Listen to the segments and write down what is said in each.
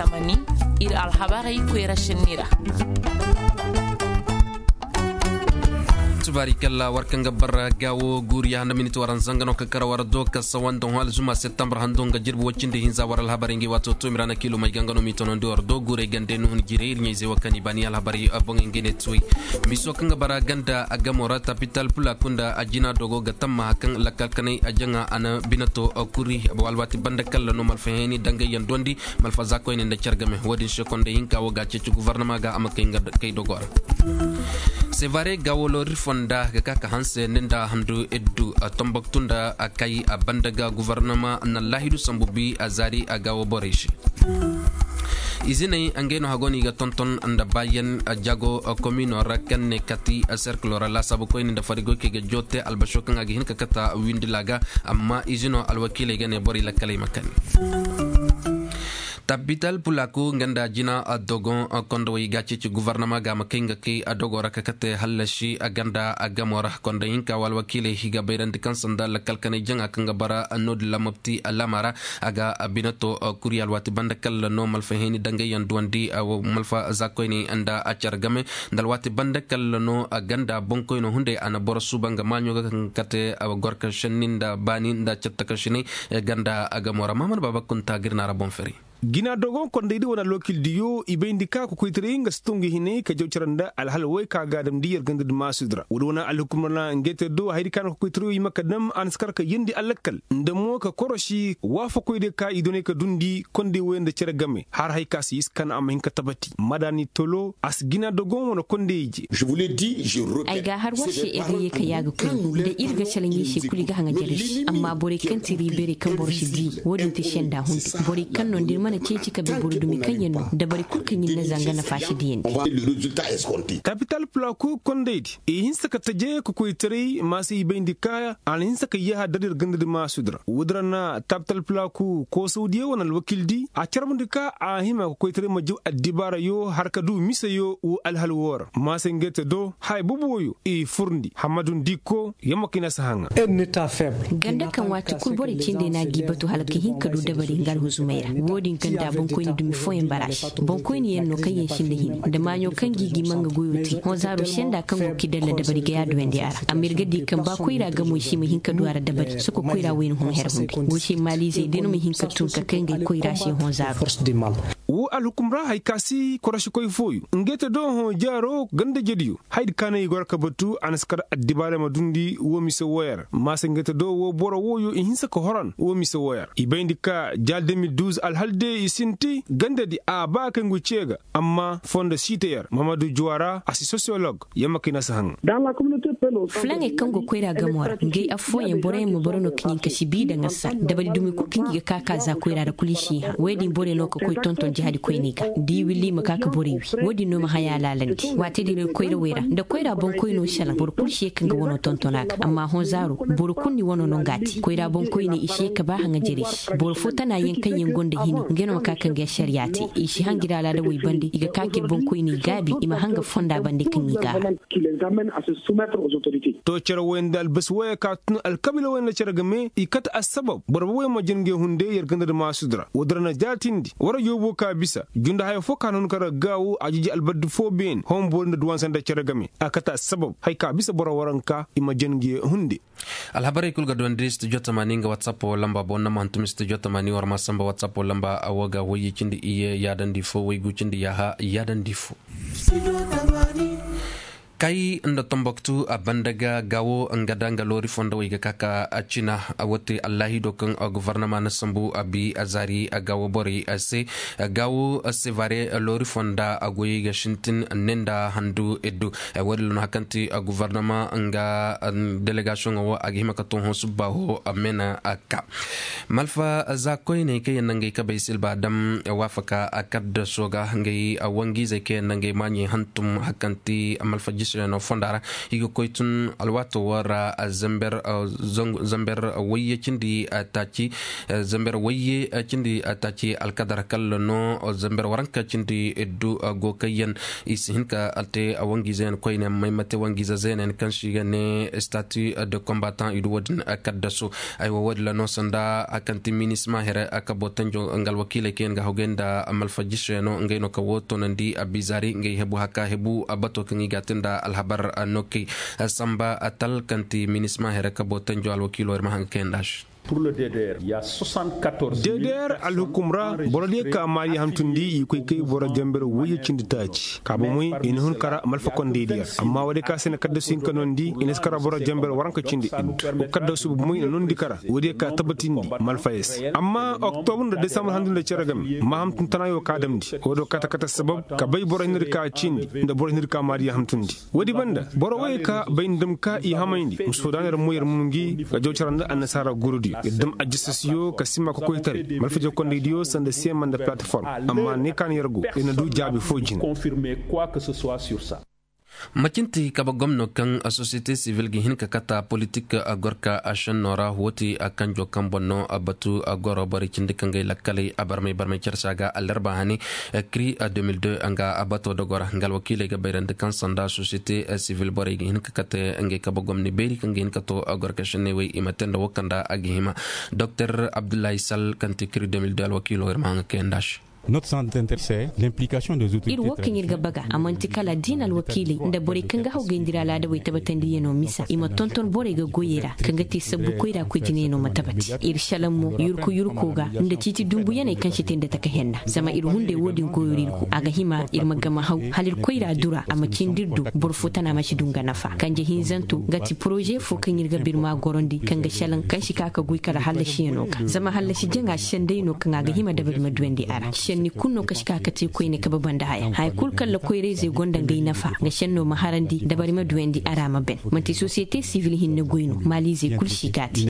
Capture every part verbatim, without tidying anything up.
Tamani, ir alhabarey koyra senni ra. Tubaari kalla war kaŋ ga bara gaawo guuriya handa miniti waran zanga no ka kara war do ka sawan da hon alzuma septembre hando nga jirbi wacindi hinza war alhabarey ngi waato to mirana kilo may ganga no mi tonondi war do guurey gande no hun jire ir ɲayze wa kani bani alhabarey boŋey ngi ne tuwey. Miso kaŋ ga bara ganda a gamo ra tapital pula kunda a jina dogo ga tamma hakan lakkal kanay a jaŋa a na binato kuri. Alwaati banda kalla no malfa heni dangay yaŋ dondi malfa za koyne nda care game wo-din se konda hinka wo ga a ceeci guvarnama ga a ma kay nga kay dogo ra. Sevare ga wo loori fonda ga ka ka hanse ninda handu iddu a tomboktu nda a kay a banda ga guvarnama na laahidu sambu bi a zaari a ga wo borey se. Iziney ngey no hago no i ga tonton nda bayan jago komino ra kaŋ ne kati serkilo ra laasaabu koyne nda farigoy kaŋ i ga joote albasho kaŋ a ga hin ka kata windila ga. Amma izino alwakiiley ga ne borey lakkaley ma kani. Tabital pulaku nga nda jina dogon kondowey ga ceeci guvarnama ga ma kay nga kay a dogo ra ka kate hallasi a ganda a gamo ra konda hinka wa alwakiiley i ga bayrandi kaŋ sanda lakkal kanay jaŋa kaŋ ga bara noodin lamabti alama ra. A ga binato kuri alwaati banda kalla no malfa heni dangay yaŋ duwandi malfa za koyney nda a care game nda alwaati banda kalla no a ganda boŋkoyno hunday a na boro suuba nga maaɲo ga kaŋ ga kate gorka senni nda baani nda cattakasinay. Ganda a gamo ra mahamad baaba kunta ga ir na ra boŋ fari. Gina dogon kondaydi wane alwakildiyo i bayndi ka kokoytaray nga si tungu hinay ka jaw care nda alhal way ka ga a damndi yer gandadi maasudi ra woodi wane alhukumar na ngey te do hayadi ka na kokoytaray i ma ka dam a na si kar ka yeendi alakkal nda mo ka korosi waafakoydiyo ka i donay ka dundi konday way nda care game har hay ka si iskan a ma hin ka tabati madaani tolo a si gina dogon wane konday ije. Ay ga a har war se ay ga ye ka yaaga koy nda ir ga salaŋ i se kulu i ga haŋa jare se amma borey kaŋ ti riibeerey kaŋ boro si di wo-din ti senda hunday borey kaŋ no nda ir mana ceeci ka bay boro dumi kaŋ yaŋ no dabari kulu kaŋ ir na zanga nafa si diyandi. Kapital pulaku kondaydi i hinsa ka taje ka koytaray maasa i bayndi ka a na hinsa ka yaaha dar ir gandadi maasudi ra woodi ra na tapital pulaku koosawdiyo wane alwakildi a carbundi ka a hima ka koytaray ma jaw addibaarayo har ka du miseyo wo alhal woo ra maasa ngey te do haya boobo wooyo i furndi hammadu ndikko yamma kaŋ i na si haŋa. Ganda kaŋ waati kul borey cindey no a g'i batu hala ka hin ka du dabari nga alhuzumey ra wo-din kaŋ nda boŋkoyni dumi fooyaŋ bara se boŋkoyni yaŋ no kaŋ yaŋ sinda hini nda maaɲo kaŋ g'i g'i ma nga goyo te hõ zaaro senda kaŋ go k'i dalla dabari ga yaaduwandi a ra amma ir ga di kaŋ ba koyra gamo i si ma hin ka du a ra dabari soko koyra wayna hõ her hunday wo se maaliizey day no ma hin ka tun ka kay ngey koyra se hõ zaaro. Wo alhukum ra hay ka si korosikoy fooyo ngey te do hõ jaaro ganda jediyo hayadi ka naŋ i goro ka batu a na si kar addibaarey ma dundi wo mise wooyo ra maasa ngey te do wo boro wooyo i hinsa ka horan wo mise wooyo ra i bayndi ka jaal de mil duuz alhal day i sinti gandadi a ba kaŋ ngu cee ga amma fondo siite yer mamadu juwara a si sosiyolog yamma kaŋ i na si haŋ. Fulaŋey kaŋ go koyra gamo ra ngey affooyaŋ boroyaŋ ma boro no kaŋ i ka si bi daŋ a sa dabari dumi kul kaŋ i ga ka ka za koyra ra kul i si hã woy din borey no ka koy tonton jahadi koyney ga da i willi i ma ka ka borey wi wo-din no ma haya laalandi waati din ra koyrawey ra nda koyra boŋkoyno salaŋ boro kul si ye ka nga wano tonton a ga amma hõ zaaro boro kul ni wano no nga a te koyra boŋkoyney i si ye ka ba haŋajerey se boro fo tana yaŋ kaŋ yaŋ gonda hini ngey no ma ka ka nga ašariya te i si hangi ra alaada wey bande i ga ka ka ir boŋkoyney gaabi i ma hanga fonda bande kaŋ i ga a. To cere woy nda albasi woyey ka tun alkabiila woy nda cere game i kate assabab boro booboyaŋ ma jin ngey hunde yer ganda nda maasudi ra woodi ra na jaatindi war yoobo ka bisa junda haya fo ka na hun ka ra gaawo a jiji albardi fo beene hom boori nda duwansa nda cere game a kate assabab haya ka bisa boro waranka i ma jin ngey hunde. Alhabarey kul ga duwandi studio tamani nga whatsapp lamba boŋ nama hantum studio tamani war ma samba whatsapp lamba a wo ga woyye cindi iyye yaadandi fo woygu cindi yaaha yaadandi fo. Kay nda tomboktu a banda ga gaawo nga da nga loori fondowey ga ka ka a cina a wote allaahido kaŋ guvarnama na sambu a bi a zaari a gaawo borey se. Gaawo sevare loori fonda a goyey ga sintin ne nda handu iddu. Woodi luna hakanti guvarnama nga delegasiyoŋo wo a ga hima ka tun hõ subba ho a mena a ka malfa za koyney kaŋ yaŋ na ngey kabey silba dam waafaka a kadda sooga ngey wangiizey kaŋ yaŋ na ngey maaɲey hantum hakanti malfa. no fonda ra. I ga koy tun alwaato wo ra. Zamber wayye cindi taaci zamber wayye cindi taaci alkadar kalla no zamber waranka cindi iddu. Go kayyan i si hin ka te wangiize yaŋ koyne maymate wangiize zeenayaŋ kaŋ si ga ne statut de combattant i du wo-din kaddasu. Aywa wo-din ra no sanda a kaŋ ti minisma here a kabo tanjo nga alwakiiley kaŋ yaŋ ga hawgay nda malfajiso yaŋ no ngey no ka wo toonandi a bizaari ngey hebu haka hebu a bato kaŋ i ga te nda alhabar no kay samba a tal kaŋ ti minisma here kabo tanjo alwakiilo ir ma haŋ ga kay nda se. Dedeyar alhukum ra boro diya ka maari hantundi i koy kay boro jamber wayye cindi taaci ka bomoy i na hun kara malfakondey diya amma wo-de ka se na kaddasu hinka nondi i na si kara boro jamber waranka cindi iddu. Kaddasu bomoy na nondi kara wo-de ka tabbatindi malfayes amma oktobur nda desambar handu nda cere game ma hamtun tanayo ka damndi wo-do kata kata sabab ka bay boro hinir ka cindi nda boro hinir ka maari hantundi. Woodi banda boro woyey ka bay nda dam ka i hamayndi ma sodaaney ra moyar mungi ga jaw cara nda annasaara gurudi ir dam ajjasasiyo ka sima kokoytaray malfaje kondaydiyo sanda sema nda plataform amma ne ka na yar go ir na du jaabi foo jina. Macinti kabe gomno kaŋ sosiyete sivil ga hin ka kata politik gorka a šenno ra woo ti a kanjo kaŋ boŋ no a batu a goro borey cindi kaŋ ga ay lakkaley a barmay barmay carsa ga alarba hane. Kri a deux mille deux nga a bato dogora nga alwakiiley ga bayrandi kaŋ sanda sosiyete sivil borey ga hin ka kate ngey kabe gomni beeri kaŋ ga hin ka to a gorka šenney wey i ma te nda woo kaŋ nda a ga hima. Doktor abdullahi sal kaŋ ti kri deux mille deux alwakiilo ir ma haŋ ga kay nda se. Ir woo kaŋ ir ga baga a man'ti kala diina alwakiiley nda borey kaŋ ga hawgay nda ir alaadawey tabatandiyano misa i ma tonton borey ga goyey ra kaŋ ga te sabbu koyra koy jinayano ma tabati. Ir šalaŋ mo yurku yurko ga nda ciiti dumbuyaney kaŋ si te nda taka henna zama ir hunday woo din goyoo ra ir go a ga hima ir ma gama haw hala ir koyra dura a ma cindi ir do boro fo tana ma si du nga nafa kanje hinzanto nga ti poroze fo kaŋ ir ga birma gorandi kaŋ ga šalaŋ kaŋ si ka ka goy kala hallasiyano ga zama hallasi jaŋa sendey no kaŋ a ga hima dabari ma duyandi a ra šenni kulu no kaŋ si ka ka te koyne kabe banda haya haya kulu kaŋ ra koyrayzey gonda ngey nafa nga šenno ma harandi dabari ma duyandi a ra ma ben. Man'ti sosiyete sivil hinne goy no maaliizey kulu si ka te.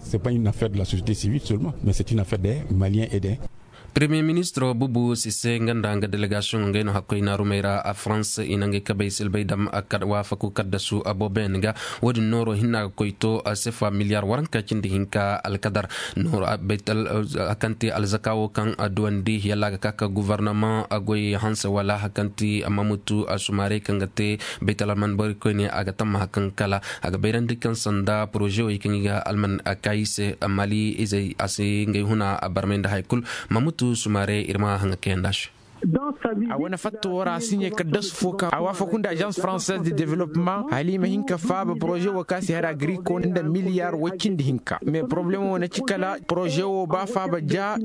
Premiye ministro bubu sise nga nda nga delegasiyoŋ ngey no hakkoy naarumey ra a farans i na ngey kabey silbay dam waafaku kaddasu aboobayaŋ ga. Woodin nooro hinna ga koy to sefa miliyaar waranka cindi hinka alkadar nooro a kaŋ te alzaka wo kaŋ a duwandi yalla a ga ka ka guvarnamaŋ goy hanse wala a kaŋ te mamutu a sumaarey kaŋ ga te baytal alman borey koyne a ga tamma a kaŋ kala a ga bayrandi kaŋ sanda poroze wey kaŋ i ga alman a kaayi se. Mali izey a si ngey huna a barmay nda haya kulu. Mamutu sumaarey ir ma haŋa kayandi a se. A wane fatta woo ra a si ɲey ka dasu fo kaŋ a waafaku nda azans faranseez de developpement hala i ma hin ka faaba poroze woo kaŋ a si har agriko nda miliyaar woy cindi hinka mais poroblemo na ci kala poroze woo ba faaba ja.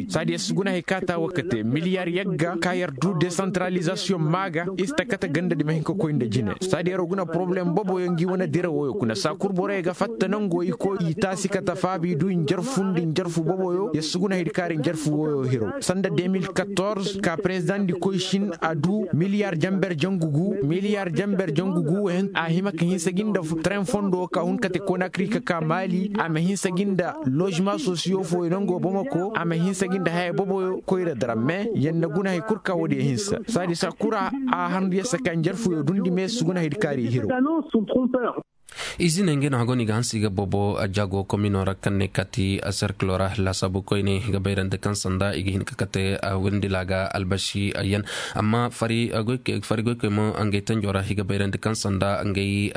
Saadi ya si guna hay kaŋ a ta woo ka te miliyaar yagga kaŋ yer du desantaralizasiyoŋ maa ga i si ta kate ganda di ma hin ka koy nda jine. Saadi yer guna poroblem boboyo ngi wane dira wooyo kuna saa kul borey ga fatta nango i koy i taasi kate faaba i du i njarfu nda i njarfu boboyo yer si guna hay di kaari njarfu wooyo hiro sanda deux mille quatorze ka perezidaŋ di koy sin a du miliyaar jamber jangu gu miliyaar jamber jangu gu. A hima ka hinsa gi nda tren fondo ka hun kate konakri ka ka maali a ma hinsa gi nda lozema sosiyo fooyo nango bomako a ma hinsa gi nda haya boboyo koyra dara mais yer na guna hay kul ka woodiyo hinsa saadi saa kul ra a handu yer se ka njarfuyo dundi mais si guna hay di kaari hiro. Izine ngey no hago no i ga hanse i ga boobo jaago komino ra kaŋ ne kaati serkilo ra laasaabu koyne i ga bayrandi kaŋ sanda i ga hin ka kate windila ga albasi yaŋ. Amma fari goykoy mo ngey tanjo ra i ga bayrandi kaŋ sanda ngey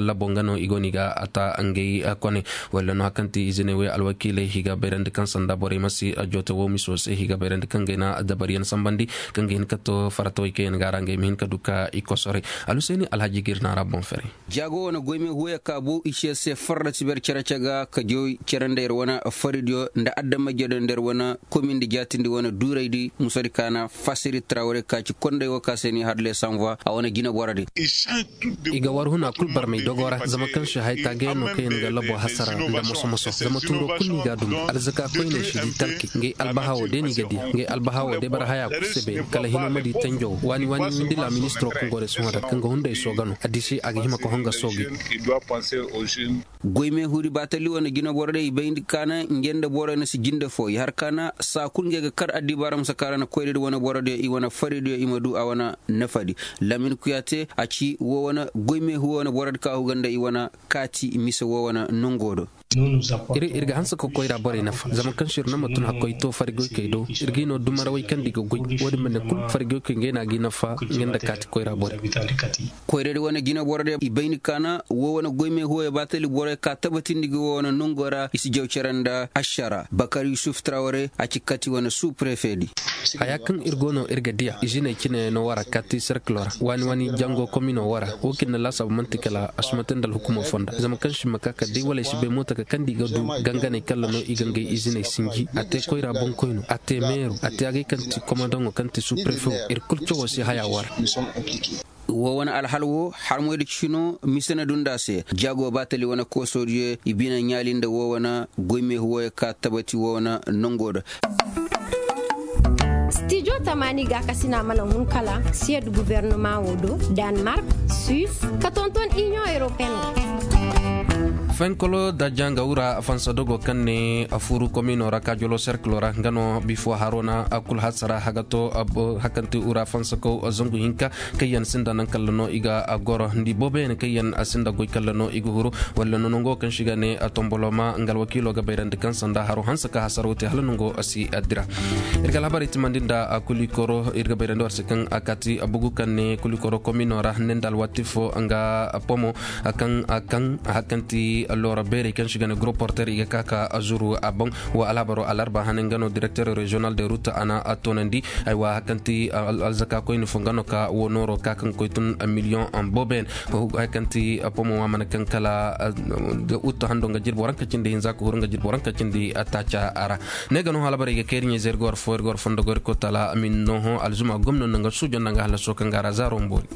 labo nga no i go no i ga a ta ngey kone walla no hari kaŋ ti izine wey alwakiiley i ga bayrandi kaŋ sanda borey ma si joote woo miso se i ga bayrandi kaŋ ngey na dabariyaŋ sambandi kaŋ ga hin ka to faratawey kaŋ yaŋ ga a ra ngey ma hin ka du ka i kosoray. Alhuseeni alhaji ga ir naara boŋ fere. Jaago wane goyme huuya kaabu i se se farra tiber cere-cere ga ka joy cere nda yer wane faridiyo nda adamajediyo nda yer wane komindi jaatindi wane duuraydi musadi kaana fasiri tarawre ka ci konday wo ka se ni har le sanvoi a wane jine boro din. I ga war huna kul barmay dogo ra zama kaŋ se hay taagay no kaŋ yaŋ ga labo hasara nda moso-moso zama tuuro kul no i ga a dumbu alzaka koyney si di talki ngey albahawo day no i ga di ngey albahawo day bara haya kul se beene kala hino ma di tanjo waani-waani windi laaministiro kaŋ go day sohõ ra kaŋ ga hunday sooga no addisi a ga hima ka honga soogi. Goy meehuudi baatali wane jina borodiyo i bayndi kaana nge nda boroyo na si jinde foo i har kaana saa kul nge ga kar addibaara ma si kaara na koyradi wane borodiyo i wane faridiyo i ma duu a wane nafadi. Lamin kuyaate a ci woo wane goy meehu woo wane borodi ka a huga nda i wane kaati mise woo wane nongoo do. Ir ga hanse ka koyra borey nafa zama kaŋ se ir na ma tun hakkoy to farigoykey do. Ir ga i no dumarawey kaŋ nda i ga goy. Wo- din ma ne kul farigoykey ngey no a ga i nafa nga nda kaati koyra borey. Koyradi wane jina borodiyo i bay ni kaana woo wane goy meehuwoyo baatali borey ka tabatindi ga woo wane nongoo ra i si jaw cere nda ašara bakar yusuf trawre a ci kati wane suu prefedi. Haya kaŋ ir go no ir ga diya iziney cine no wara kati serkilo ra waani waani jango komino wara. Wo kaŋ na laasaabu man'ti kala a si ma te nda alhukumo fonda zama kaŋ si ma ka ka day wala ay si bay mootaka kaŋ nda i ga du ganganey kalla no i ga ngey iziney sinji a te koyra boŋkoyno a te meero a te agay kaŋ ti komandaŋo kaŋ ti suprefewo. Ir kul cawoo se haya wara. Woo wane alhal woo harmoy da cino mise na dunda se jaago baatali wane koosoodiyo i bine ɲaali nda woo wane goy meehu wooyo ka tabati woo wane nongoo da. Stijo tamaani gaakasina mana hun kala siyed gubernumaŋo do, danmark, suis, ka tonton iniyoŋ europeen. Fenkolo da janga wura fansa dogo kaŋ ne a furu komino ra kaajolo serkilo ra nga no bifo harona a kul hasara hagato. Hakanti wura fansa kaw zangu hinka kaŋ yaŋ sinda naŋ kalla no i ga goro ndi booboyaŋ kaŋ yaŋ sinda goy kalla no i ga huru walla no nango kaŋ si ga ne tomboloma nga alwakiilo ga bayrandi kaŋ sanda haro hanse ka hasaro te hala nango si dira. Ir ga alhabarey timandi nda kulikoro ir ga bayrandi war se kaŋ a kaati bugu kaŋ ne kulikoro komino ra ne nda alwaati fo nga pomo kaŋ kaŋ hakanti loora beerey kaŋ si ga ne goro porter i ga ka ka zuru a boŋ. Wa alhabaro alarba hane nga no direkter reziyonal de rut a na a toonandi. Aywa hakanti alzaka koyni fo nga no ka wo nooro ka kaŋ koy tun miliyoŋ booben. Hakanti pomo wa mana kaŋ kala uta hando nga jirbo ranka cindi hinza ka huru nga jirbo ranka cindi taaca a ra. Ne ga no halabar i ga kayri ɲe zay ir ga war fo ir ga war fondo gori ko tala amin noho alzuma gomno nanga sujo nanga halaso kaŋ ga ra zaaro mboori.